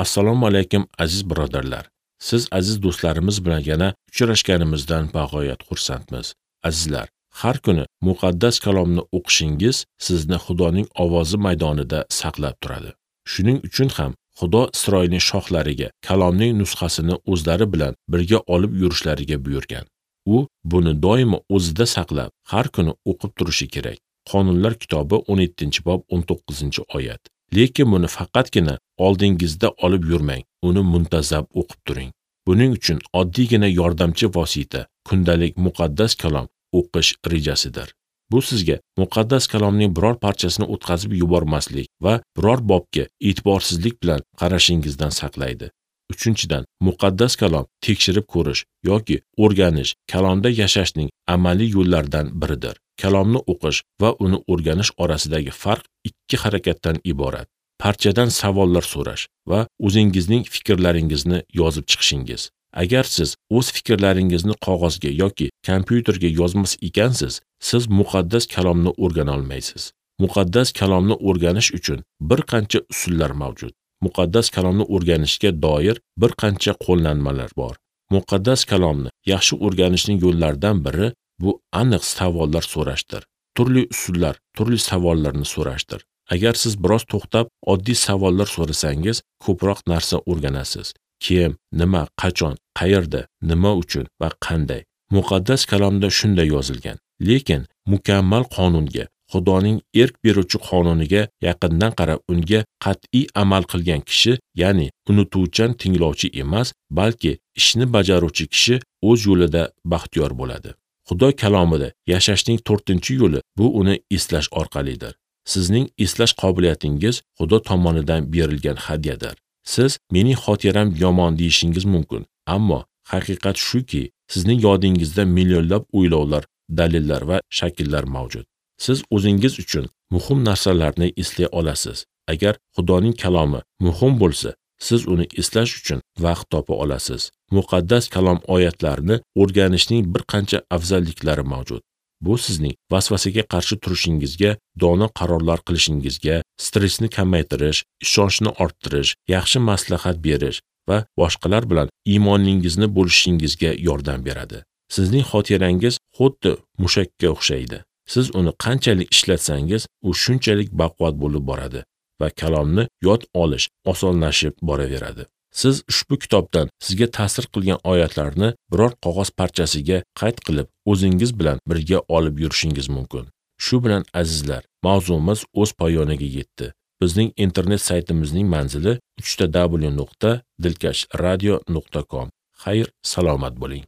Assalomu alaykum aziz birodarlar. Siz aziz do'stlarimiz bilan yana uchrashganimizdan bag'oyat xursandmiz. Azizlar, har kuni muqaddas kalomni o'qishingiz sizni Xudoning ovozi maydonida saqlab turadi. Shuning uchun ham Xudo Isroilning shohlariga kalomning nusxasini o'zlari bilan birga olib yurishlariga buyurgan. U buni doimo o'zida saqlab, har kuni o'qib turishi kerak. Qonunlar kitobi 17-bob 19-oyat. Lekin buni faqatgina oldingizda olib yurmang, uni muntazam o'qib turing. Buning uchun oddiygina yordamchi vosita kundalik muqaddas kalom o'qish rejasidir. Bu sizga muqaddas kalomning biror parchasini o'tkazib yubormaslik va biror bobga e'tiborsizlik bilan qarashingizdan saqlaydi. Uchinchidan, muqaddas kalom tekshirib ko'rish yoki o'rganish kalomda yashashning amaliy yo'llaridan biridir. Kalomni o'qish va uni o'rganish orasidagi farq ikki harakatdan iborat. Parchadan savollar so'rash va o'zingizning fikrlaringizni yozib chiqishingiz. Agar siz o'z fikrlaringizni qog'ozga yoki kompyuterga yozmas ekansiz, siz muqaddas kalomni o'rgana olmaysiz. Muqaddas kalomni o'rganish uchun bir qancha usullar mavjud. Muqaddas kalomni o'rganishga doir bir qancha qo'llanmalar bor. Muqaddas kalomni yaxshi o'rganishning yo'llaridan biri bu aniq savollar so'rashdir. Turli usullar, turli savollarni so'rashdir. Agar siz biroz to'xtab, oddiy savollar so'rasangiz, ko'proq narsa o'rganasiz. Kim, nima, qachon, qayerda, nima uchun va qanday. Muqaddas kalomda shunday yozilgan. Lekin mukammal qonunga, Xudoning erk beruvchi qonuniga yaqindan qarab unga qat'iy amal qilgan kishi, ya'ni unutuvchan tinglovchi emas, balki ishni bajaruvchi kishi o'z yo'lida baxtiyor bo'ladi. Xudo kalomida yashashning 4-yo'li bu uni eslash orqalidir. Sizning eslash qobiliyatingiz Xudo tomonidan berilgan hadyadir. Siz mening xotiram yomon deyishingiz mumkin, ammo haqiqat shuki, sizning yodingizda millionlab o'ylovlar, dalillar va shakllar mavjud. Siz o'zingiz uchun muhim narsalarni eslay olasiz. Agar Xudoning kalomi muhim bo'lsa, siz uni eslash uchun vaqt topa olasiz. Muqaddas kalom oyatlarini o'rganishning bir qancha afzalliklari mavjud. Bu sizning vasvasaga qarshi turishingizga, dono qarorlar qilishingizga, stressni kamaytirish, ishonchni orttirish, yaxshi maslahat berish va boshqalar bilan iymoningizni bo'lishingizga yordam beradi. Sizning xotirangiz xuddi mushakka o'xshaydi. Siz uni qanchalik ishlatsangiz, u shunchalik baquvvat bo'lib boradi va kalomni yod olish osonlashib boraveradi. Siz ushbu kitobdan sizga ta'sir qilgan oyatlarni biror qog'oz parchasiga qayd qilib, o'zingiz bilan birga olib yurishingiz mumkin. Shu bilan azizlar, mavzumiz o'z poyoniga yetdi. Bizning internet saytimizning manzili www.dilkashradio.com. Xayr, salomat bo'ling.